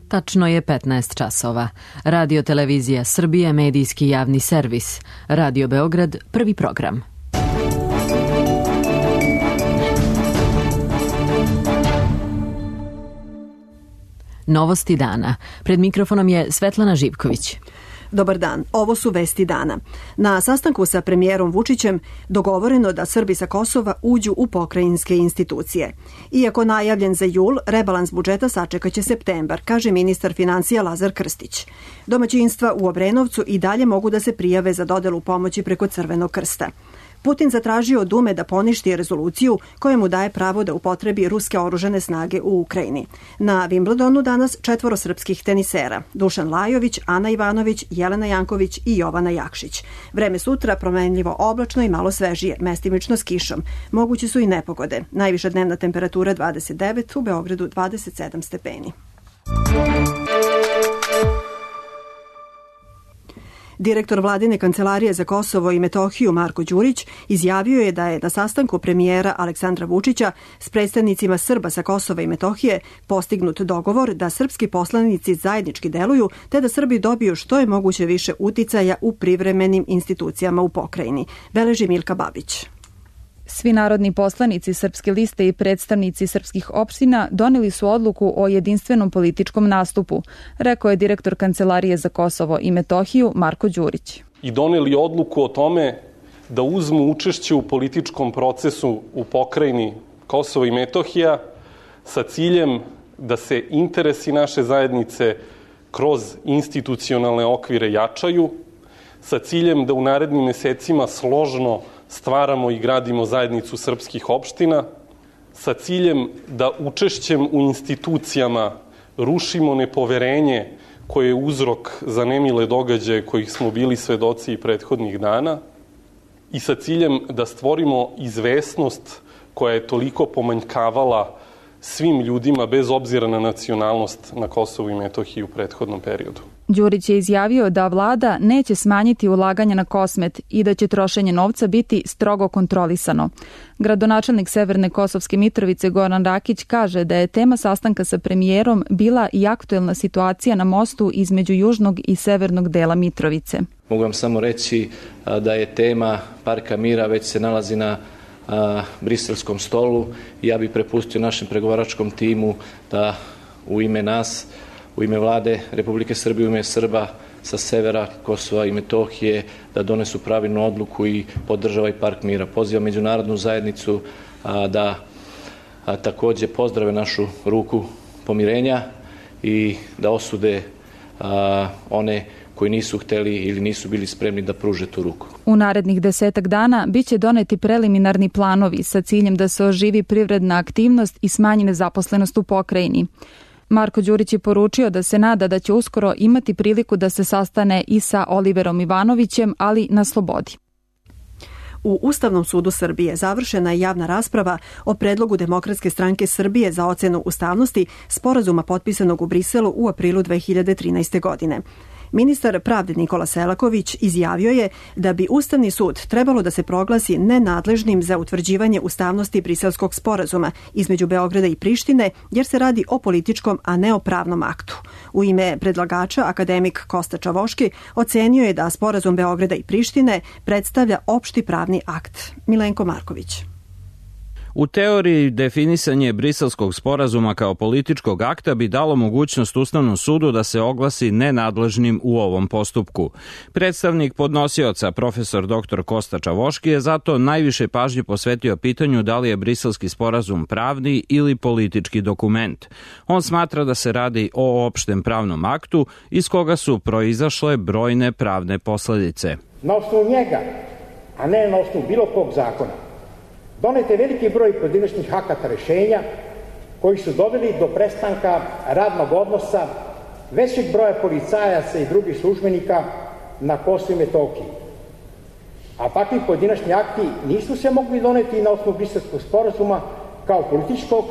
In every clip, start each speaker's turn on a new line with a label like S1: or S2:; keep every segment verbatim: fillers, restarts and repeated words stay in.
S1: Tačno je petnaest časova. Radio Televizija Srbije, medijski javni servis. Radio Beograd, prvi program. Novosti dana. Pred mikrofonom je Svetlana Živković.
S2: Dobar dan, ovo su vesti dana. Na sastanku sa premijerom Vučićem dogovoreno da Srbi sa Kosova uđu u pokrajinske institucije. Iako najavljen za jul, rebalans budžeta sačekaće septembar, kaže ministar finansija Lazar Krstić. Domaćinstva u Obrenovcu i dalje mogu da se prijave za dodelu pomoći preko Crvenog krsta. Putin zatražio od Dume da poništi rezoluciju koja mu daje pravo da upotrebi ruske oružane snage u Ukrajini. Na Wimbledonu danas četvoro srpskih tenisera: Dušan Lajović, Ana Ivanović, Jelena Janković i Jovana Jakšić. Vreme sutra promenljivo oblačno i malo svežije, mestimično s kišom. Moguće su i nepogode. Najviša dnevna temperatura dvadeset devet, u Beogradu dvadeset sedam stepeni. Direktor Vladine kancelarije za Kosovo i Metohiju Marko Đurić izjavio je da je na sastanku premijera Aleksandra Vučića s predstavnicima Srba sa Kosova i Metohije postignut dogovor da srpski poslanici zajednički deluju te da Srbi dobiju što je moguće više uticaja u privremenim institucijama u pokrajini. Beleži Milka Babić.
S3: Svi narodni poslanici Srpske liste i predstavnici srpskih opština doneli su odluku o jedinstvenom političkom nastupu, rekao je direktor Kancelarije za Kosovo i Metohiju Marko Đurić.
S4: I doneli odluku o tome da uzmu učešće u političkom procesu u pokrajini Kosovo i Metohija sa ciljem da se interesi naše zajednice kroz institucionalne okvire jačaju, sa ciljem da u narednim mesecima složno stvaramo i gradimo zajednicu srpskih opština, sa ciljem da učešćem u institucijama rušimo nepoverenje koje je uzrok za nemile događaje kojih smo bili svedoci i prethodnih dana i sa ciljem da stvorimo izvesnost koja je toliko pomanjkavala svim ljudima bez obzira na nacionalnost na Kosovu i Metohiji u prethodnom periodu.
S3: Đurić je izjavio da vlada neće smanjiti ulaganja na Kosmet i da će trošenje novca biti strogo kontrolisano. Gradonačelnik Severne Kosovske Mitrovice Goran Rakić kaže da je tema sastanka sa premijerom bila i aktuelna situacija na mostu između južnog i severnog dela Mitrovice.
S5: Mogu vam samo reći da je tema Parka mira već se nalazi na a, briselskom stolu. Ja bih prepustio našem pregovaračkom timu da u ime nas, u ime vlade Republike Srbije, u ime Srba sa severa Kosova i Metohije da donesu pravilnu odluku i podržava i Park mira. Pozivam međunarodnu zajednicu a, da a, takođe pozdrave našu ruku pomirenja i da osude a, one koji nisu hteli ili nisu bili spremni da pruže tu ruku.
S3: U narednih desetak dana biće doneti preliminarni planovi sa ciljem da se oživi privredna aktivnost i smanji nezaposlenost u pokrajini. Marko Đurić je poručio da se nada da će uskoro imati priliku da se sastane i sa Oliverom Ivanovićem, ali na slobodi.
S2: U Ustavnom sudu Srbije završena je javna rasprava o predlogu Demokratske stranke Srbije za ocenu ustavnosti sporazuma potpisanog u Briselu u aprilu dve hiljade trinaeste. godine. Ministar pravde Nikola Selaković izjavio je da bi Ustavni sud trebalo da se proglasi nenadležnim za utvrđivanje ustavnosti briselskog sporazuma između Beograda i Prištine, jer se radi o političkom, a ne o pravnom aktu. U ime predlagača, akademik Kosta Čavoški ocenio je da sporazum Beograda i Prištine predstavlja opšti pravni akt. Milenko Marković.
S6: U teoriji, definisanje briselskog sporazuma kao političkog akta bi dalo mogućnost Ustavnom sudu da se oglasi nenadležnim u ovom postupku. Predstavnik podnosioca, profesor doktor Kosta Čavoški, je zato najviše pažnje posvetio pitanju da li je briselski sporazum pravni ili politički dokument. On smatra da se radi o opštem pravnom aktu iz koga su proizašle brojne pravne posledice.
S7: Na osnovu njega, a ne na osnovu bilo kog zakona, donet je veliki broj pojedinačnih akata rešenja koji su doveli do prestanka radnog odnosa većeg broja policajaca i drugih službenika na Kosovu i Metohiji. A takvi pojedinačni akti nisu se mogli doneti na osnovu Briselskog sporazuma kao političkog,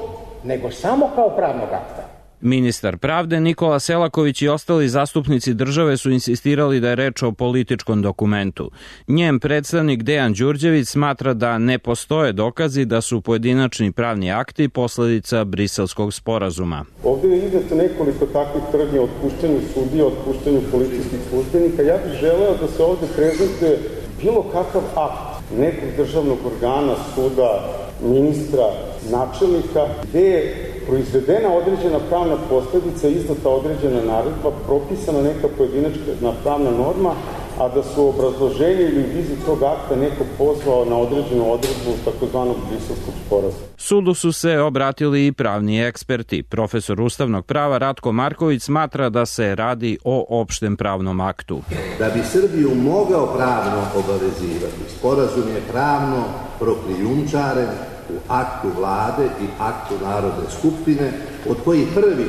S7: nego samo kao pravnog akta.
S6: Ministar pravde Nikola Selaković i ostali zastupnici države su insistirali da je reč o političkom dokumentu. Njen predstavnik Dejan Đurđević smatra da ne postoje dokazi da su pojedinačni pravni akti posledica Briselskog sporazuma.
S8: Ovdje je izneto nekoliko takvih tvrdnji o otpuštanju sudija, o otpuštanju policijskih službenika. Ja bih želeo da se ovdje prezentuje bilo kakav akt nekog državnog organa, suda, ministra, načelnika, gde je proizvedena određena pravna posljedica, izdata određena naredba, propisana neka pojedinačna pravna norma, a da su obrazloženje ili viziju tog akta neko pozvao na određenu odredbu takozvanog Briselskog sporazuma.
S6: Sudu su se obratili i pravni eksperti. Profesor ustavnog prava Ratko Marković smatra da se radi o opštem pravnom aktu.
S9: Da bi Srbiju mogao pravno obavezivati, sporazum je pravno prokrijumčaren u aktu vlade i aktu Narodne skupštine, od koji prvi,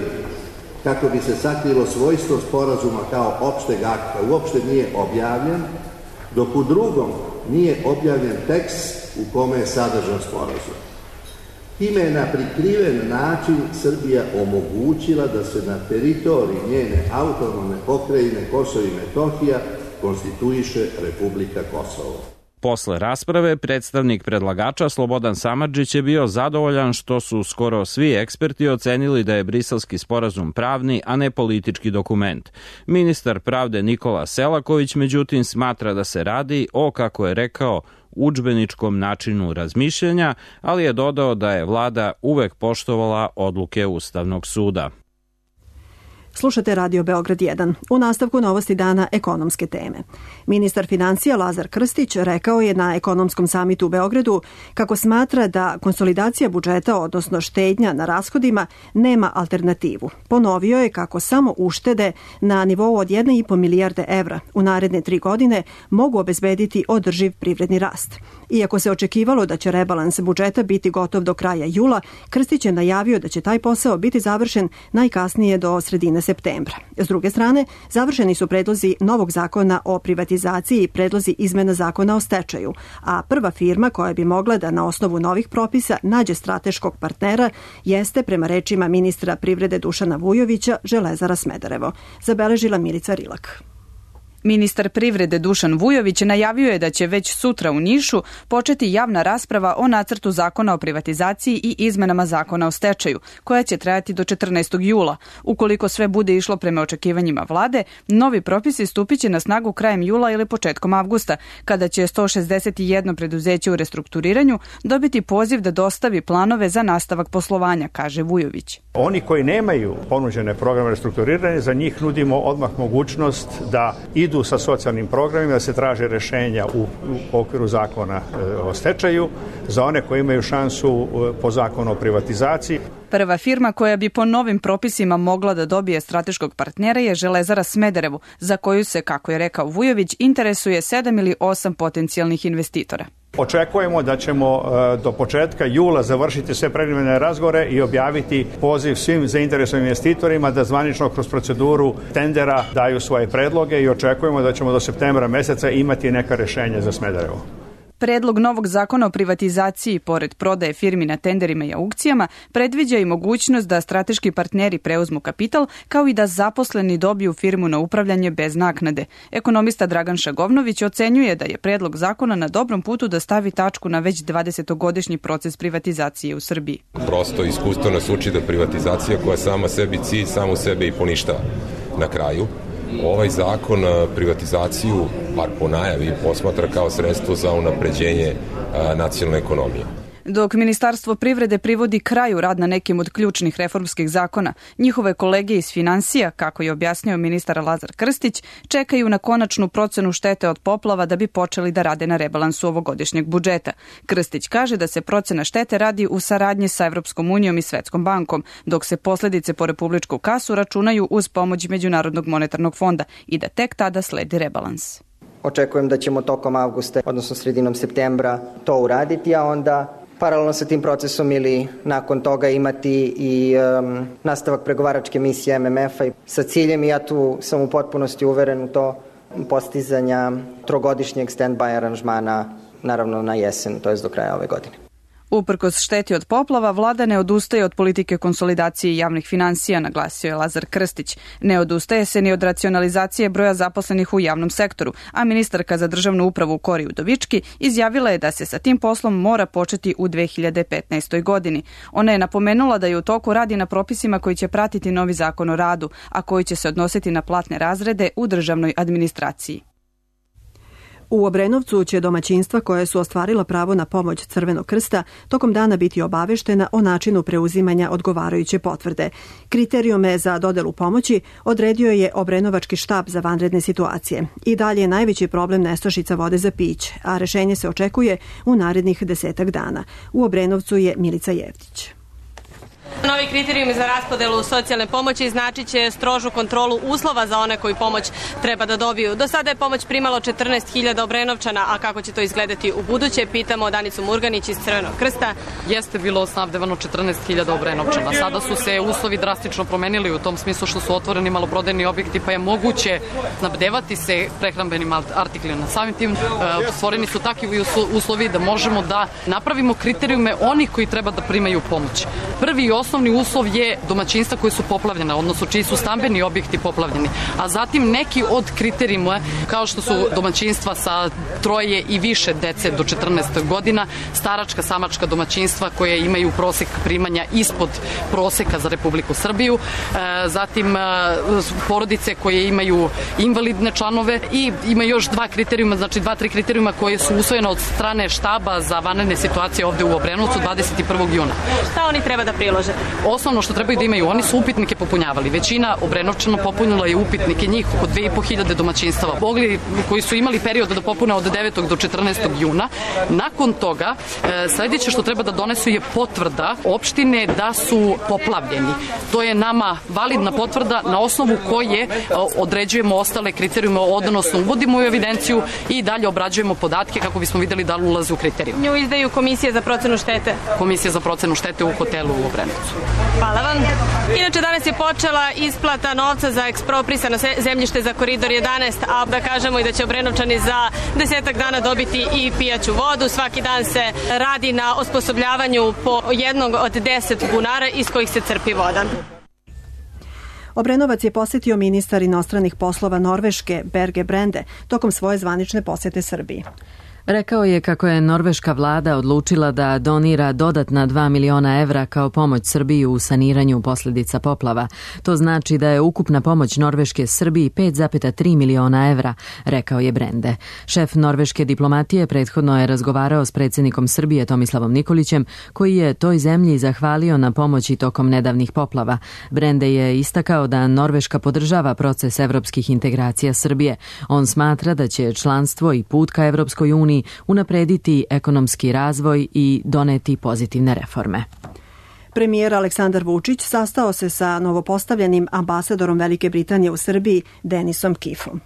S9: kako bi se sakrilo svojstvo sporazuma kao opšteg akta, uopšte nije objavljen, dok u drugom nije objavljen tekst u kome je sadržan sporazum. Time je na prikriven način Srbija omogućila da se na teritoriji njene autonomne pokrajine Kosovo i Metohija konstituiše Republika Kosovo.
S6: Posle rasprave, predstavnik predlagača Slobodan Samardžić je bio zadovoljan što su skoro svi eksperti ocenili da je Briselski sporazum pravni, a ne politički dokument. Ministar pravde Nikola Selaković, međutim, smatra da se radi o, kako je rekao, udžbeničkom načinu razmišljanja, ali je dodao da je vlada uvek poštovala odluke Ustavnog suda.
S2: Slušate Radio Beograd jedan. U nastavku novosti dana ekonomske teme. Ministar financija Lazar Krstić rekao je na ekonomskom samitu u Beogradu kako smatra da konsolidacija budžeta, odnosno štednja na rashodima, nema alternativu. Ponovio je kako samo uštede na nivou od jedne i po milijarde evra u naredne tri godine mogu obezbediti održiv privredni rast. Iako se očekivalo da će rebalans budžeta biti gotov do kraja jula, Krstić je najavio da će taj posao biti završen najkasnije do sredine septembra. S druge strane, završeni su predlozi novog zakona o privatizaciji i predlozi izmena zakona o stečaju, a prva firma koja bi mogla da na osnovu novih propisa nađe strateškog partnera jeste, prema rečima ministra privrede Dušana Vujovića, Železara Smederevo. Zabeležila Milica Rilak.
S3: Ministar privrede Dušan Vujović najavio je da će već sutra u Nišu početi javna rasprava o nacrtu zakona o privatizaciji i izmenama zakona o stečaju, koja će trajati do četrnaestog jula. Ukoliko sve bude išlo prema očekivanjima vlade, novi propisi stupit će na snagu krajem jula ili početkom avgusta, kada će sto šezdeset jedno preduzeće u restrukturiranju dobiti poziv da dostavi planove za nastavak poslovanja, kaže Vujović.
S7: Oni koji nemaju ponuđene programe restrukturiranja, za njih nudimo odmah mogućnost da idu sa socijalnim programima, da se traže rešenja u, u okviru zakona o stečaju, za one koji imaju šansu po zakonu o privatizaciji.
S3: Prva firma koja bi po novim propisima mogla da dobije strateškog partnera je Železara Smederevo, za koju se, kako je rekao Vujović, interesuje sedam ili osam potencijalnih investitora.
S7: Očekujemo da ćemo do početka jula završiti sve preliminarne razgovore i objaviti poziv svim zainteresovanim investitorima da zvanično kroz proceduru tendera daju svoje predloge i očekujemo da ćemo do septembra meseca imati neka rešenja za Smederevo.
S3: Predlog novog zakona o privatizaciji, pored prodaje firmi na tenderima i aukcijama, predviđa i mogućnost da strateški partneri preuzmu kapital, kao i da zaposleni dobiju firmu na upravljanje bez naknade. Ekonomista Dragan Šagovnović ocenjuje da je predlog zakona na dobrom putu da stavi tačku na već dvadesetogodišnji proces privatizacije u Srbiji.
S10: Prosto iskustvo nas uči da privatizacija koja sama sebi cilj, samu sebe i poništava na kraju. Ovaj zakon privatizaciju, bar po najavi, posmatra kao sredstvo za unapređenje nacionalne ekonomije.
S3: Dok Ministarstvo privrede privodi kraju rad na nekim od ključnih reformskih zakona, njihove kolege iz finansija, kako je objasnio ministar Lazar Krstić, čekaju na konačnu procenu štete od poplava da bi počeli da rade na rebalansu ovogodišnjeg budžeta. Krstić kaže da se procena štete radi u saradnji sa Evropskom unijom i Svetskom bankom, dok se posledice po republičku kasu računaju uz pomoć Međunarodnog monetarnog fonda i da tek tada sledi rebalans.
S11: Očekujem da ćemo tokom avgusta, odnosno sredinom septembra, to uraditi, a onda paralelno sa tim procesom ili nakon toga imati i um, nastavak pregovaračke misije M M F-a i sa ciljem, i ja tu sam u potpunosti uveren u to, postizanja trogodišnjeg stand-by aranžmana, naravno na jesen, to je do kraja ove godine.
S12: Uprkos šteti od poplava, vlada ne odustaje od politike konsolidacije javnih finansija, naglasio je Lazar Krstić. Ne odustaje se ni od racionalizacije broja zaposlenih u javnom sektoru, a ministarka za državnu upravu Kori Udovički izjavila je da se sa tim poslom mora početi u dve hiljade petnaestoj. godini. Ona je napomenula da je u toku radi na propisima koji će pratiti novi zakon o radu, a koji će se odnositi na platne razrede u državnoj administraciji.
S2: U Obrenovcu će domaćinstva koje su ostvarila pravo na pomoć Crvenog krsta tokom dana biti obaveštena o načinu preuzimanja odgovarajuće potvrde. Kriterijume za dodelu pomoći odredio je Obrenovački štab za vanredne situacije. I dalje je najveći problem nestašica vode za piće, a rešenje se očekuje u narednih desetak dana. U Obrenovcu je Milica Jevtić.
S13: Novi kriterijumi za raspodelu socijalne pomoći značit će strožu kontrolu uslova za one koji pomoć treba da dobiju. Do sada je pomoć primalo četrnaest hiljada Obrenovčana, a kako će to izgledati u buduće, pitamo Danicu Murganić iz Crvenog krsta.
S14: Jeste bilo snabdevano četrnaest hiljada Obrenovčana. Sada su se uslovi drastično promenili u tom smislu što su otvoreni maloprodajni objekti, pa je moguće snabdevati se prehrambenim artiklima. Samim tim stvoreni su takvi uslovi da možemo da napravimo kriterijume onih koji treba da primaju pomoć. Prvi i osnovni uslov je domaćinstva koje su poplavljena, odnosno čiji su stambeni objekti poplavljeni. A zatim neki od kriterijuma, kao što su domaćinstva sa troje i više dece do četrnaest godina, staračka, samačka domaćinstva koje imaju prosek primanja ispod proseka za Republiku Srbiju, zatim porodice koje imaju invalidne članove i ima još dva kriterijuma, znači dva, tri kriterijuma koje su usvojene od strane štaba za vanredne situacije ovde u Obrenovcu dvadeset prvog juna.
S13: Šta oni treba da prilože?
S14: Osnovno što trebaju da imaju, oni su upitnike popunjavali. Većina Obrenovčana popunila je upitnike, njih oko dve i po hiljade domaćinstava. Mogli, koji su imali period da popune od devetog do četrnaestog juna. Nakon toga, sledeće što treba da donesu je potvrda opštine da su poplavljeni. To je nama validna potvrda na osnovu koje određujemo ostale kriterijume, odnosno uvodimo u evidenciju i dalje obrađujemo podatke kako bismo videli da li ulaze u kriterijum.
S13: Nju izdaju Komisije za procenu štete.
S14: Komisija za procenu štete u hotelu u Obrenovcu.
S13: Hvala vam. Inače, danas je počela isplata novca za eksproprisano zemljište za Koridor jedanaest, a da kažemo i da će Obrenovčani za desetak dana dobiti i pijaću vodu. Svaki dan se radi na osposobljavanju po jednog od deset bunara iz kojih se crpi voda.
S2: Obrenovac je posjetio ministar inostranih poslova Norveške Berge Brende tokom svoje zvanične posjete Srbiji.
S1: Rekao je kako je norveška vlada odlučila da donira dodatna dva miliona evra kao pomoć Srbiji u saniranju posljedica poplava. To znači da je ukupna pomoć Norveške Srbiji pet zarez tri miliona evra, rekao je Brende. Šef norveške diplomatije prethodno je razgovarao s predsjednikom Srbije Tomislavom Nikolićem, koji je toj zemlji zahvalio na pomoći tokom nedavnih poplava. Brende je istakao da Norveška podržava proces evropskih integracija Srbije. On smatra da će članstvo i put ka Evropskoj uniji unaprediti ekonomski razvoj i doneti pozitivne reforme.
S2: Premijer Aleksandar Vučić sastao se sa novopostavljenim ambasadorom Velike Britanije u Srbiji Denisom Kifom.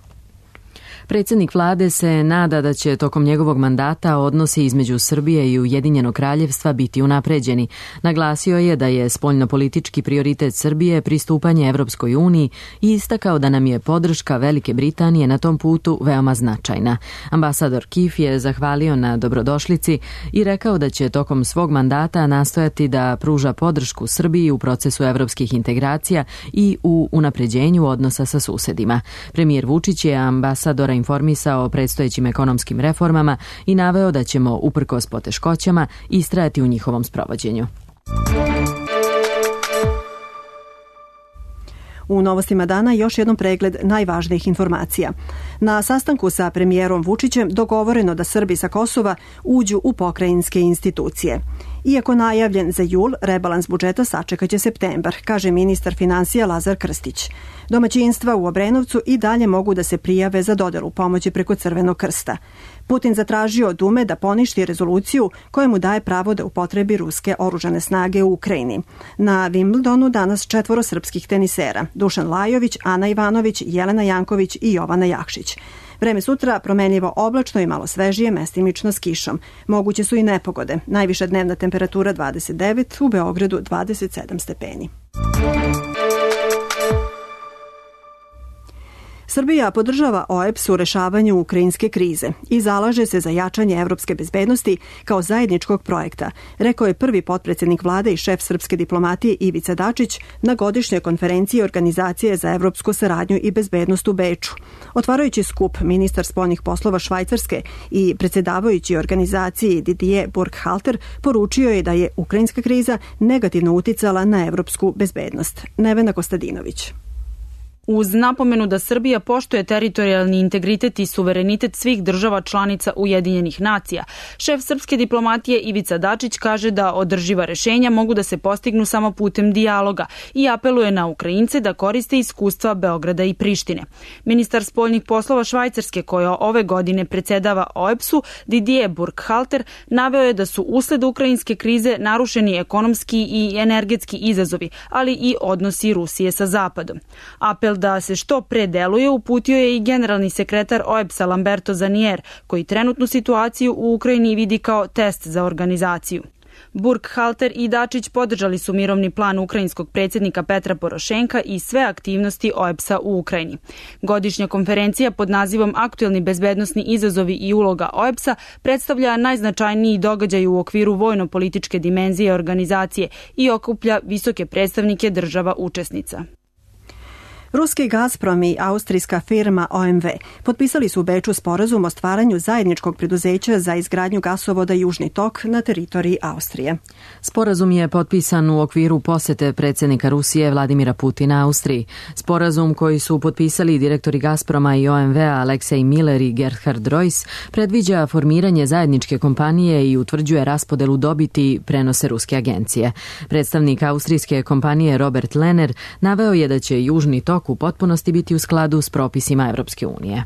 S1: Predsjednik vlade se nada da će tokom njegovog mandata odnosi između Srbije i Ujedinjenog kraljevstva biti unapređeni. Naglasio je da je spoljnopolitički prioritet Srbije pristupanje Evropskoj uniji i istakao da nam je podrška Velike Britanije na tom putu veoma značajna. Ambasador Kif je zahvalio na dobrodošlici i rekao da će tokom svog mandata nastojati da pruža podršku Srbiji u procesu evropskih integracija i u unapređenju odnosa sa susedima. Premijer Vučić je ambasadora informisao o predstojećim ekonomskim reformama i naveo da ćemo, uprkos poteškoćama, istrajati u njihovom sprovođenju.
S2: U novostima dana još jednom pregled najvažnijih informacija. Na sastanku sa premijerom Vučićem dogovoreno da Srbi sa Kosova uđu u pokrajinske institucije. Iako najavljen za jul, rebalans budžeta sačekaće septembar, kaže ministar finansija Lazar Krstić. Domaćinstva u Obrenovcu i dalje mogu da se prijave za dodelu pomoći preko Crvenog krsta. Putin zatražio od Dume da poništi rezoluciju koja mu daje pravo da upotrebi ruske oružane snage u Ukrajini. Na Wimbledonu danas četvoro srpskih tenisera: Dušan Lajović, Ana Ivanović, Jelena Janković i Jovana Jakšić. Vreme sutra promenljivo oblačno i malo svežije, mestimično s kišom. Moguće su i nepogode. Najviša dnevna temperatura dvadeset devet, u Beogradu dvadeset sedam stepeni. Srbija podržava O E B S u rešavanju ukrajinske krize i zalaže se za jačanje evropske bezbednosti kao zajedničkog projekta, rekao je prvi potpredsjednik vlade i šef srpske diplomatije Ivica Dačić na godišnjoj konferenciji Organizacije za evropsku saradnju i bezbednost u Beču. Otvarajući skup, ministar spoljnih poslova Švajcarske i predsjedavajući organizaciji Didier Burkhalter poručio je da je ukrajinska kriza negativno uticala na evropsku bezbednost. Nevena Kostadinović.
S15: Uz napomenu da Srbija poštuje teritorijalni integritet i suverenitet svih država članica Ujedinjenih nacija, šef srpske diplomatije Ivica Dačić kaže da održiva rešenja mogu da se postignu samo putem dijaloga i apeluje na Ukrajince da koriste iskustva Beograda i Prištine. Ministar spoljnih poslova Švajcarske, koja ove godine predsedava O E B S-u, Didier Burkhalter, naveo je da su usled ukrajinske krize narušeni ekonomski i energetski izazovi, ali i odnosi Rusije sa Zapadom. Apel da se što pre deluje uputio je i generalni sekretar O E B S-a Lamberto Zanier, koji trenutnu situaciju u Ukrajini vidi kao test za organizaciju. Burkhalter i Dačić podržali su mirovni plan ukrajinskog predsjednika Petra Porošenka i sve aktivnosti O E B S-a u Ukrajini. Godišnja konferencija pod nazivom Aktuelni bezbednosni izazovi i uloga O E B S-a predstavlja najznačajniji događaj u okviru vojno-političke dimenzije organizacije i okuplja visoke predstavnike država učesnica.
S2: Ruski Gazprom i austrijska firma O M V potpisali su u Beču sporazum o stvaranju zajedničkog preduzeća za izgradnju gasovoda Južni tok na teritoriji Austrije.
S1: Sporazum je potpisan u okviru posete predsjednika Rusije Vladimira Putina Austriji. Sporazum koji su potpisali direktori Gazproma i O M V-a Aleksej Miller i Gerhard Reuss predviđa formiranje zajedničke kompanije i utvrđuje raspodelu dobiti, prenose ruske agencije. Predstavnik austrijske kompanije Robert Lehner naveo je da će Južni tok u potpunosti biti u skladu s propisima Evropske unije.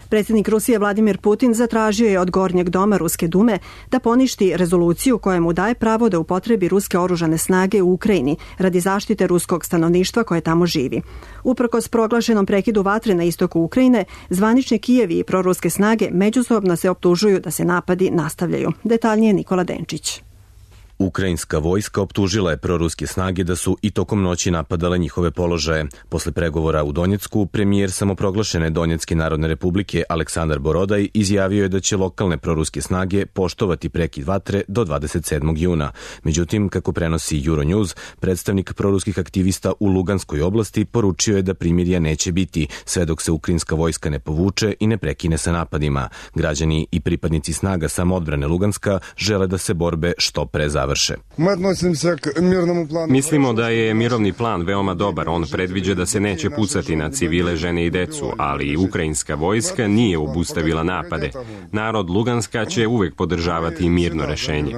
S2: Predsjednik Rusije Vladimir Putin zatražio je od Gornjeg doma Ruske dume da poništi rezoluciju koja mu daje pravo da upotrebi ruske oružane snage u Ukrajini radi zaštite ruskog stanovništva koje tamo živi. Uprkos proglašenom prekidu vatre na istoku Ukrajine, zvanični Kijevi i proruske snage međusobno se optužuju da se napadi nastavljaju. Detaljnije Nikola Denčić.
S16: Ukrajinska vojska optužila je proruske snage da su i tokom noći napadale njihove položaje. Posle pregovora u Donjecku, premijer samoproglašene Donjecke narodne republike Aleksandar Borodaj izjavio je da će lokalne proruske snage poštovati prekid vatre do dvadeset sedmog juna. Međutim, kako prenosi Euronews, predstavnik proruskih aktivista u Luganskoj oblasti poručio je da primirja neće biti sve dok se ukrajinska vojska ne povuče i ne prekine sa napadima. Građani i pripadnici snaga samoodbrane Luganska žele da se borbe što pre završe.
S17: Mislimo da je mirovni plan veoma dobar. On predviđa da se neće pucati na civile, žene i decu, ali ukrajinska vojska nije obustavila napade. Narod Luganska će uvek podržavati mirno rešenje.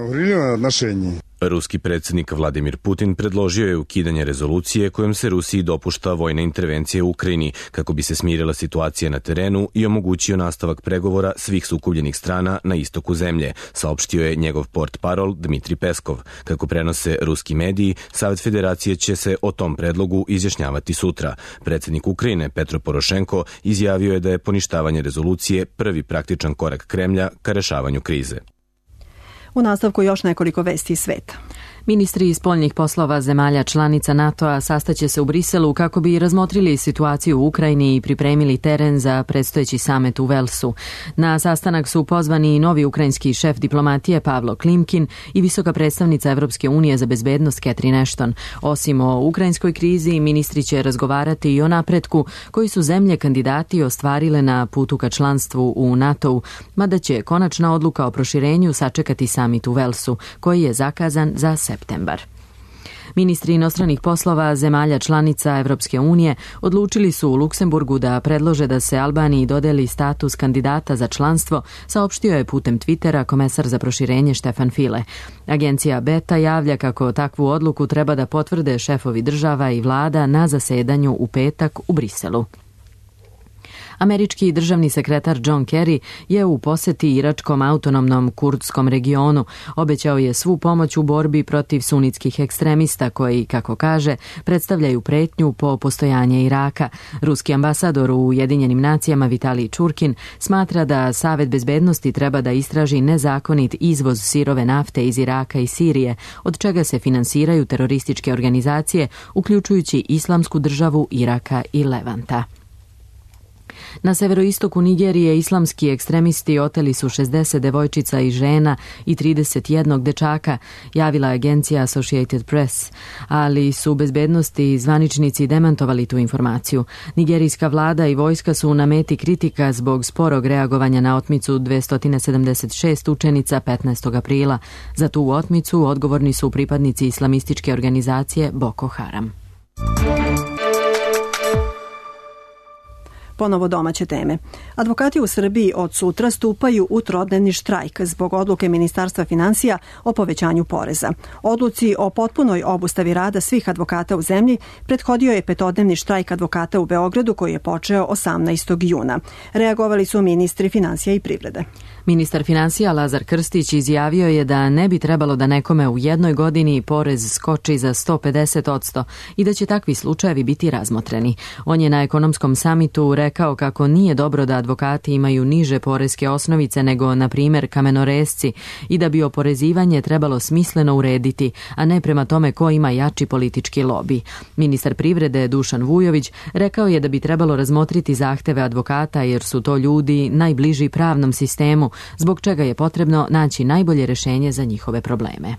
S16: Ruski predsjednik Vladimir Putin predložio je ukidanje rezolucije kojom se Rusiji dopušta vojna intervencija u Ukrajini kako bi se smirila situacija na terenu i omogućio nastavak pregovora svih sukobljenih strana na istoku zemlje, saopštio je njegov portparol Dmitri Peskov. Kako prenose ruski mediji, Savet Federacije će se o tom predlogu izjašnjavati sutra. Predsjednik Ukrajine Petro Porošenko izjavio je da je poništavanje rezolucije prvi praktičan korak Kremlja ka rešavanju krize.
S2: U nastavku još nekoliko vesti iz sveta.
S1: Ministri spoljnih poslova zemalja članica NATO-a sastaće se u Briselu kako bi razmotrili situaciju u Ukrajini i pripremili teren za predstojeći samet u Velsu. Na sastanak su pozvani i novi ukrajinski šef diplomatije Pavlo Klimkin i visoka predstavnica Evropske unije za bezbednost Catherine Ashton. Osim o ukrajinskoj krizi, ministri će razgovarati i o napretku koji su zemlje kandidati ostvarile na putu ka članstvu u NATO-u, mada će konačna odluka o proširenju sačekati samit u Velsu, koji je zakazan za septembar. Ministri inostranih poslova zemalja članica Evropske unije odlučili su u Luksemburgu da predlože da se Albaniji dodeli status kandidata za članstvo, saopštio je putem Twittera komesar za proširenje Štefan File. Agencija Beta javlja kako takvu odluku treba da potvrde šefovi država i vlada na zasedanju u petak u Briselu. Američki državni sekretar John Kerry je u poseti iračkom autonomnom kurdskom regionu. Obećao je svu pomoć u borbi protiv sunitskih ekstremista koji, kako kaže, predstavljaju pretnju po postojanje Iraka. Ruski ambasador u Ujedinjenim nacijama Vitalij Čurkin smatra da Savet bezbednosti treba da istraži nezakonit izvoz sirove nafte iz Iraka i Sirije, od čega se finansiraju terorističke organizacije, uključujući Islamsku državu Iraka i Levanta. Na severoistoku Nigerije islamski ekstremisti oteli su šezdeset devojčica i žena i trideset jedan dečaka, javila je agencija Associated Press, ali su bezbednosti i zvaničnici demantovali tu informaciju. Nigerijska vlada i vojska su na meti kritika zbog sporog reagovanja na otmicu dvesta sedamdeset šest učenica petnaestog aprila. Za tu otmicu odgovorni su pripadnici islamističke organizacije Boko Haram.
S2: Ponovo domaće teme. Advokati u Srbiji od sutra stupaju u trodnevni štrajk zbog odluke Ministarstva finansija o povećanju poreza. Odluci o potpunoj obustavi rada svih advokata u zemlji prethodio je petodnevni štrajk advokata u Beogradu koji je počeo osamnaestog juna. Reagovali su ministri finansija i privrede.
S1: Ministar finansija Lazar Krstić izjavio je da ne bi trebalo da nekome u jednoj godini porez skoči za sto pedeset posto i da će takvi slučajevi biti razmotreni. On je na ekonomskom samitu rekao kako nije dobro da advokati imaju niže poreske osnovice nego, na primjer, kamenoresci i da bi oporezivanje trebalo smisleno urediti, a ne prema tome ko ima jači politički lobi. Ministar privrede Dušan Vujović rekao je da bi trebalo razmotriti zahteve advokata jer su to ljudi najbliži pravnom sistemu, zbog čega je potrebno naći najbolje rešenje za njihove probleme.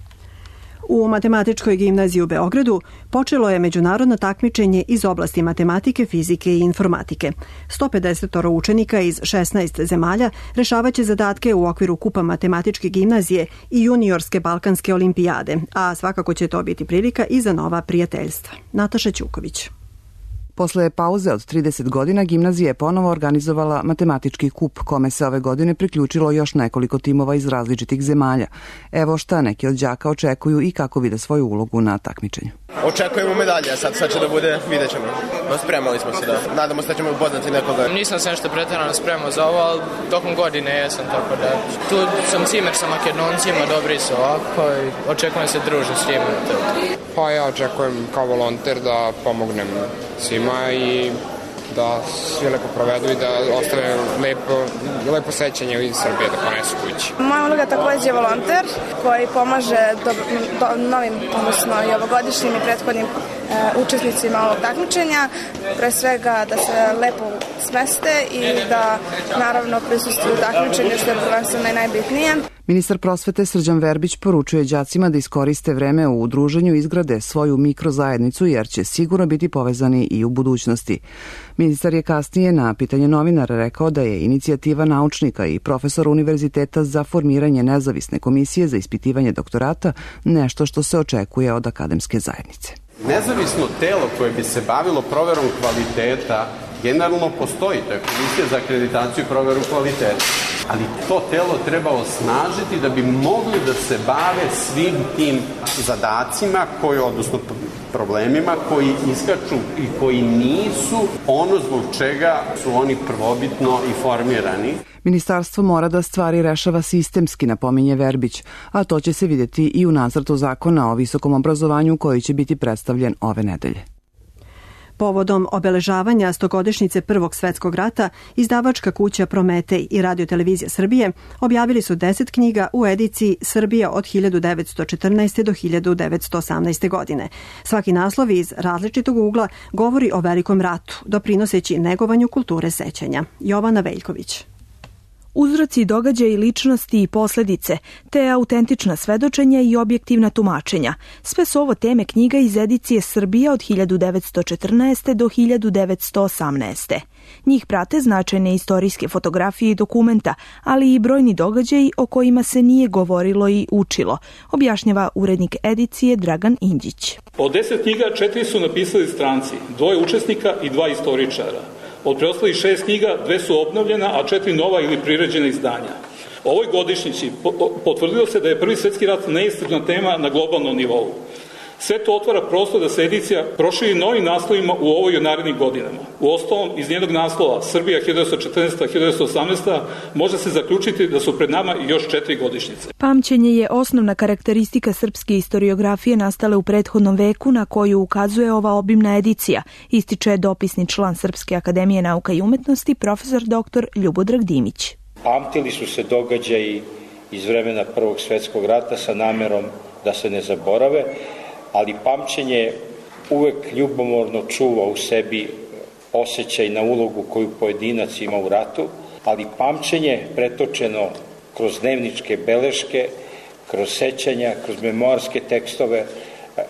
S2: U Matematičkoj gimnaziji u Beogradu počelo je međunarodno takmičenje iz oblasti matematike, fizike i informatike. sto pedeset učenika iz šesnaest zemalja rešavaće zadatke u okviru kupa Matematičke gimnazije i juniorske Balkanske olimpijade, a svakako će to biti prilika i za nova prijateljstva. Nataša Ćuković.
S18: Posle pauze od trideset godina gimnazija je ponovo organizovala matematički kup, kome se ove godine priključilo još nekoliko timova iz različitih zemalja. Evo šta neki od đaka očekuju i kako vide svoju ulogu na takmičenju.
S19: Očekujemo medalje, sad sad će da bude, vidjet ćemo. Spremali smo se da, nadamo se da ćemo upoznati nekoga.
S20: Nisam se nešto pretjerano spremao za ovo, ali tokom godine jesam, tako da tu sam cimer sa Makedoncima, dobri su ovako i očekujem se družiti s njima.
S21: Pa ja očekujem kao volonter da pomognem svima i da svi lepo provedu i da ostave lepo, lepo sećanje iz Srbije da ponesu kući.
S22: Moja uloga takođe je volonter koji pomaže do, do, novim, odnosno i ovogodišnjim i prethodnim e, učesnicima ovog takmičenja, pre svega da se lepo smeste i da naravno prisustvuju takmičenju, što je prvenstveno najbitnije.
S18: Ministar prosvete Srđan Verbić poručuje đacima da iskoriste vreme u udruženju i izgrade svoju mikrozajednicu jer će sigurno biti povezani i u budućnosti. Ministar je kasnije na pitanje novinara rekao da je inicijativa naučnika i profesora univerziteta za formiranje nezavisne komisije za ispitivanje doktorata nešto što se očekuje od akademske zajednice.
S23: Nezavisno telo koje bi se bavilo proverom kvaliteta generalno postoji, to je komisija za akreditaciju i proveru kvaliteta. Ali to telo treba osnažiti da bi mogli da se bave svim tim zadacima, koji, odnosno problemima koji iskaču i koji nisu ono zbog čega su oni prvobitno i formirani.
S18: Ministarstvo mora da stvari rešava sistemski, napominje Verbić, a to će se vidjeti i u nacrtu zakona o visokom obrazovanju koji će biti predstavljen ove nedelje.
S2: Povodom obeležavanja stogodišnjice Prvog svetskog rata, izdavačka kuća Prometej i Radiotelevizija Srbije objavili su deset knjiga u ediciji Srbija od hiljadu devetsto četrnaeste. do hiljadu devetsto osamnaeste. godine. Svaki naslov iz različitog ugla govori o velikom ratu, doprinoseći negovanju kulture sećanja. Jovana Veljković.
S24: Uzroci, događaji, ličnosti i posledice, te autentična svedočenja i objektivna tumačenja. Sve su ovo teme knjiga iz edicije Srbija od hiljadu devetsto četrnaeste. do hiljadu devetsto osamnaeste. Njih prate značajne istorijske fotografije i dokumenta, ali i brojni događaji o kojima se nije govorilo i učilo, objašnjava urednik edicije Dragan Indjić.
S25: Od deset knjiga četiri su napisali stranci, dvoje učesnika i dva istoričara. Od preostalih šest knjiga dve su obnovljena, a četiri nova ili priređena izdanja. Ovoj godišnjici potvrdilo se da je Prvi svetski rat neiscrpna tema na globalnom nivou. Sve to otvara prostor da se edicija proširi novim naslovima u ovoj i narednim godinama. U ostalom, iz njenog naslova Srbija hiljadu devetsto četrnaesta. do hiljadu devetsto osamnaeste. može se zaključiti da su pred nama još četiri godišnjice.
S24: Pamćenje je osnovna karakteristika srpske istoriografije nastale u prethodnom veku na koju ukazuje ova obimna edicija, ističe dopisni član Srpske akademije nauka i umetnosti profesor doktor Ljubodrag Dimić.
S26: Pamtili su se događaji iz vremena Prvog svetskog rata sa namerom da se ne zaborave, ali pamćenje uvek ljubomorno čuva u sebi osjećaj na ulogu koju pojedinac ima u ratu, ali pamćenje pretočeno kroz dnevničke beleške, kroz sećanja, kroz memoarske tekstove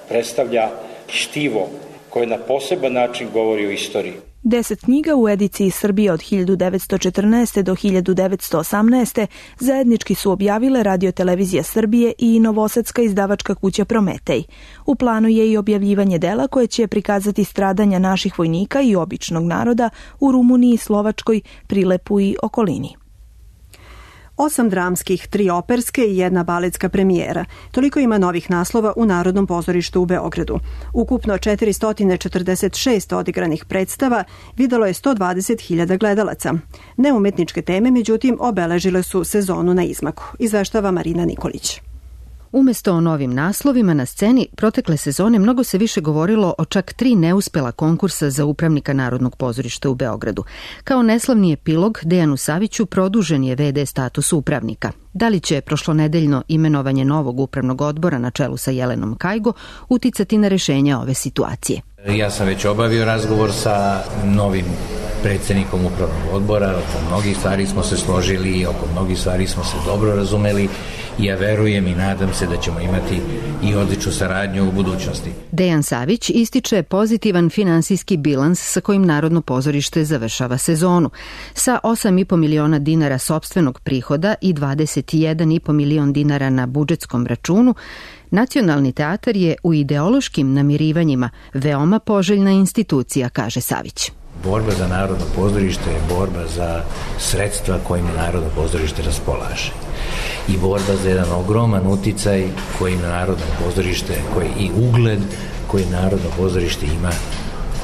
S26: predstavlja štivo koje na poseban način govori o istoriji.
S24: Deset knjiga u ediciji Srbije od hiljadu devetsto četrnaeste. do hiljadu devetsto osamnaeste. zajednički su objavile Radio-televizija Srbije i novosadska izdavačka kuća Prometej. U planu je i objavljivanje dela koje će prikazati stradanja naših vojnika i običnog naroda u Rumuniji, Slovačkoj, Prilepu i okolini.
S2: Osam dramskih, tri operske i jedna baletska premijera. Toliko ima novih naslova u Narodnom pozorištu u Beogradu. Ukupno četiristo četrdeset šest odigranih predstava videlo je sto dvadeset hiljada gledalaca. Neumetničke teme, međutim, obeležile su sezonu na izmaku. Izveštava Marina Nikolić.
S4: Umesto o novim naslovima na sceni, protekle sezone mnogo se više govorilo o čak tri neuspela konkursa za upravnika Narodnog pozorišta u Beogradu. Kao neslavni epilog, Dejanu Saviću produžen je ve de status upravnika. Da li će prošlonedeljno imenovanje novog upravnog odbora na čelu sa Jelenom Kajgo uticati na rešenje ove situacije?
S5: Ja sam već obavio razgovor sa novim predsjednikom upravnog odbora, oko mnogih stvari smo se složili i oko mnogih stvari smo se dobro razumeli i ja verujem i nadam se da ćemo imati i odličnu saradnju u budućnosti.
S4: Dejan Savić ističe pozitivan finansijski bilans sa kojim Narodno pozorište završava sezonu. Sa osam i po miliona dinara sopstvenog prihoda i dvadeset jedan i po milion dinara na budžetskom računu, Nacionalni teatar je u ideološkim namirivanjima veoma poželjna institucija, kaže Savić.
S5: Borba za Narodno pozorište je borba za sredstva kojim Narodno pozorište raspolaže. I borba za jedan ogroman uticaj kojim Narodno pozorište, koji i ugled koji Narodno pozorište ima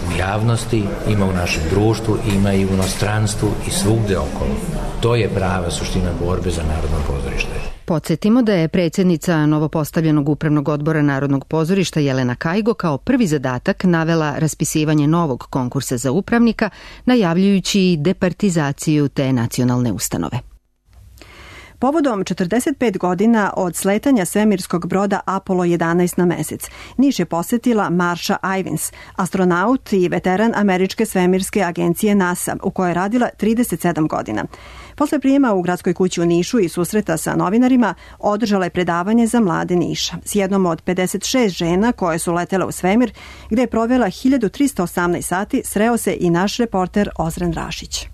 S5: u javnosti, ima u našem društvu, ima i u inostranstvu i svugde okolo. To je prava suština borbe za Narodno pozorište.
S4: Podsjetimo da je predsjednica novopostavljenog upravnog odbora Narodnog pozorišta Jelena Kajgo kao prvi zadatak navela raspisivanje novog konkursa za upravnika, najavljujući departizaciju te nacionalne ustanove.
S2: Povodom četrdeset pet godina od sletanja svemirskog broda Apollo jedanaest na mesec, Niš je posetila Marsha Ivins, astronaut i veteran američke svemirske agencije NASA, u kojoj je radila trideset sedam godina. Posle prijema u gradskoj kući u Nišu i susreta sa novinarima, održala je predavanje za mlade Niša s jednom od pedeset šest žena koje su letele u svemir, gde je provela hiljadu trista osamnaest sati, sreo se i naš reporter Ozren Rašić.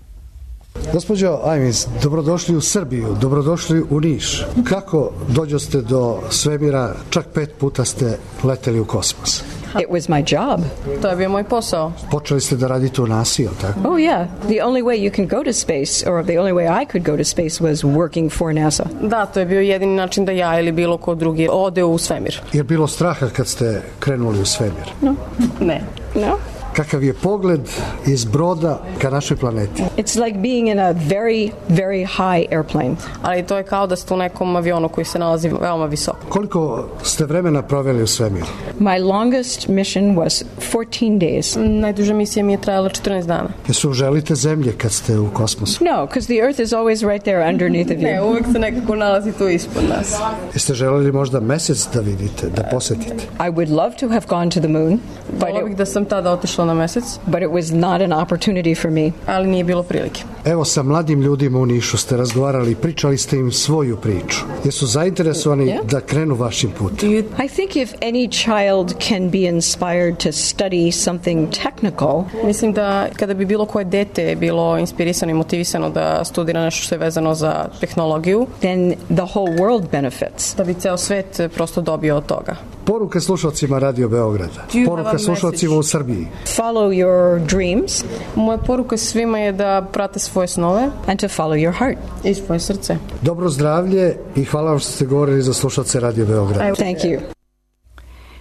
S6: Gospođo Ivins, dobrodošli u Srbiju, dobrodošli u Niš. Kako dođoste do svemira, čak pet puta ste leteli u kosmos?
S7: It was my job.
S8: To je bio moj posao.
S6: Počeli ste da radite u NASA, ili tako?
S7: Oh yeah, the only way you can go to space, or the only way I could go to space was working for NASA.
S8: Da, to je bio jedini način da ja ili bilo ko drugi ode u svemir.
S6: Je bilo straha kad ste krenuli u svemir?
S8: No. Ne. No.
S6: Kakav je pogled iz broda ka našoj planeti?
S7: It's like being in a very, very high airplane.
S8: Ali to je kao da ste u nekom avionu koji se nalazi veoma visoko.
S6: Koliko ste vremena proveli u svemiru?
S7: My longest mission was fourteen days.
S8: Najduža misija mi je trajala četrnaest dana.
S6: Jesu želite zemlje kad ste u kosmosu?
S7: No, because the Earth is always right there underneath of you.
S8: Ne, uvek se nekako nalazi tu ispod nas.
S6: Jeste želeli možda mesec da vidite, da posetite?
S7: I would love to have gone to the moon.
S8: Volio bih da sam tada otišla na mesec.
S7: But it was not an opportunity for me.
S8: Ali nije bilo prilike.
S6: Evo, sa mladim ljudima u Nišu ste razgovarali, pričali ste im svoju priču. Jesu zainteresovani yeah. da krenu vašim putem?
S7: I think if any child can be inspired to study something technical.
S8: Mislim da kada bi bilo koje dete bilo inspirisano i motivisano da studira nešto što je vezano za tehnologiju,
S7: then the whole world benefits.
S8: Da bi ceo svet prosto dobio od toga.
S6: Poruka slušalcima Radio Beograda. Poruka slušalcima u Srbiji.
S7: Follow your dreams.
S8: Moja poruka svima je da prate svoje snove.
S7: And to follow your heart.
S8: I svoje srce.
S6: Dobro zdravlje i hvala vam što ste govorili za slušalce Radio Beograda.
S7: Thank you.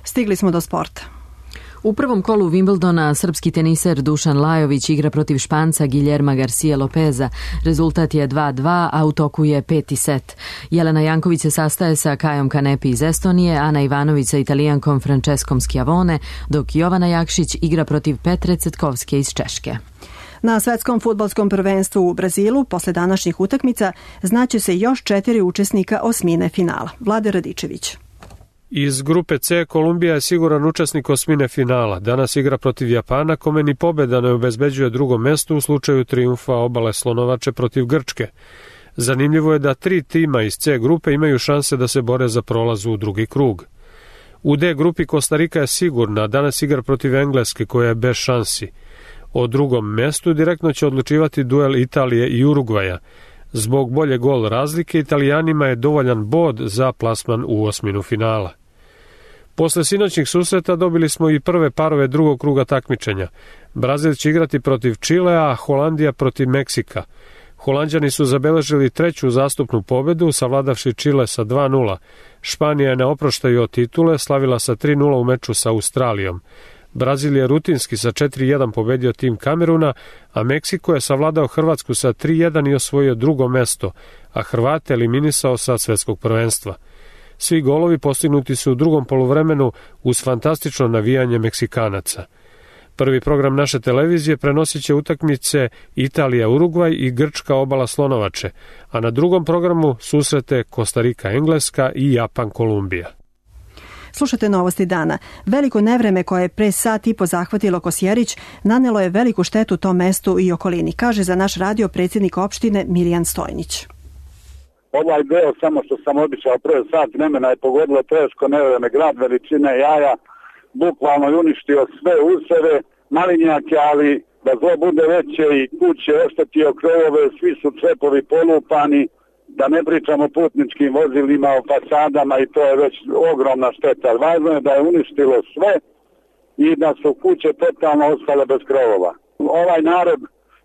S2: Stigli smo do sporta.
S1: U prvom kolu Wimbledona srpski teniser Dušan Lajović igra protiv Španca Guillerma Garcia Lopeza. Rezultat je dva dva, a u toku je peti set. Jelena Janković se sastaje sa Kajom Kanepi iz Estonije, Ana Ivanović sa Italijankom Franceskom Schiavone, dok Jovana Jakšić igra protiv Petre Cetkovske iz Češke.
S2: Na svetskom fudbalskom prvenstvu u Brazilu, posle današnjih utakmica, znaće se još četiri učesnika osmine finala. Vlade Radičević.
S3: Iz grupe C Kolumbija je siguran učesnik osmine finala. Danas igra protiv Japana, kome ni pobeda ne obezbeđuje drugo mesto u slučaju trijumfa Obale Slonovače protiv Grčke. Zanimljivo je da tri tima iz C grupe imaju šanse da se bore za prolaz u drugi krug. U D grupi Kostarika je sigurna, danas igra protiv Engleske koja je bez šansi. O drugom mestu direktno će odlučivati duel Italije i Urugvaja. Zbog bolje gol razlike, Italijanima je dovoljan bod za plasman u osminu finala. Posle sinoćnih susreta dobili smo i prve parove drugog kruga takmičenja. Brazil će igrati protiv Čilea, a Holandija protiv Meksika. Holanđani su zabeležili treću zastupnu pobedu, savladavši Čile sa dva nula. Španija je na oproštaju od titule slavila sa tri nula u meču sa Australijom. Brazil je rutinski sa četiri jedan pobedio tim Kameruna, a Meksiko je savladao Hrvatsku sa tri jedan i osvojio drugo mesto, a Hrvate eliminisao sa svetskog prvenstva. Svi golovi postignuti su u drugom poluvremenu uz fantastično navijanje Meksikanaca. Prvi program naše televizije prenosit će utakmice Italija-Urugvaj i Grčka Obala Slonovače, a na drugom programu susrete Kostarika-Engleska i Japan-Kolumbija.
S2: Slušate novosti dana. Veliko nevreme koje je pre sat i po zahvatilo Kosjerić nanelo je veliku štetu tom mestu i okolini, kaže za naš radio predsjednik opštine Milijan Stojnić.
S9: Ovaj deo, samo što sam običao prve sat vremena, je pogodilo teško nevreme, grad veličine jaja, bukvalno je uništio sve useve, malinjake, ali da zlo bude veće i kuće oštetio krovove, svi su čepovi polupani, da ne pričamo o putničkim vozilima, o fasadama i to je već ogromna šteta. Važno je da je uništilo sve i da su kuće totalno ostale bez krovova. Ovaj narod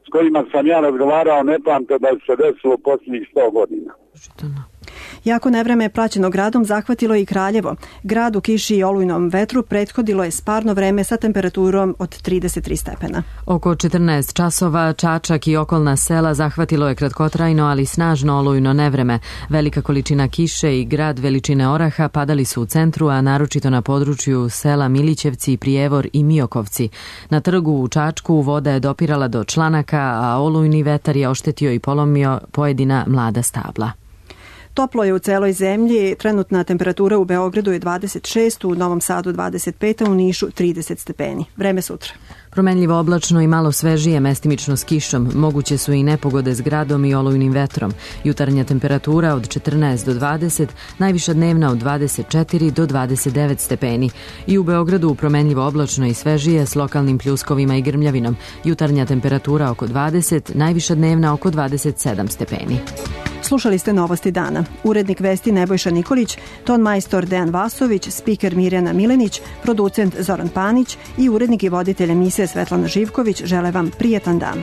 S9: s kojima sam ja razgovarao ne pamte da se desilo u posljednjih sto godina.
S2: Jako nevreme praćeno gradom zahvatilo i Kraljevo. Grad u kiši i olujnom vetru prethodilo je sparno vreme sa temperaturom od trideset tri stepena.
S1: Oko četrnaest časova Čačak i okolna sela zahvatilo je kratkotrajno, ali snažno olujno nevreme. Velika količina kiše i grad veličine oraha padali su u centru, a naročito na području sela Milićevci, Prijevor i Miokovci. Na trgu u Čačku voda je dopirala do članaka, a olujni vetar je oštetio i polomio pojedina mlada stabla.
S2: Toplo je u celoj zemlji, trenutna temperatura u Beogradu je dvadeset šest, u Novom Sadu dvadeset pet, a u Nišu trideset stepeni. Vreme sutra.
S1: Promenljivo oblačno i malo svežije, mestimično s kišom. Moguće su i nepogode s gradom i olujnim vetrom. Jutarnja temperatura od četrnaest do dvadeset, najviša dnevna od dvadeset četiri do dvadeset devet stepeni. I u Beogradu promenljivo oblačno i svežije s lokalnim pljuskovima i grmljavinom. Jutarnja temperatura oko dvadeset, najviša dnevna oko dvadeset sedam stepeni.
S2: Slušali ste novosti dana. Urednik vesti Nebojša Nikolić, ton majstor Dejan Vasović, spiker Mirjana Milenić, producent Zoran Panić i urednik i voditelj emisije Svetlana Živković žele vam prijetan dan.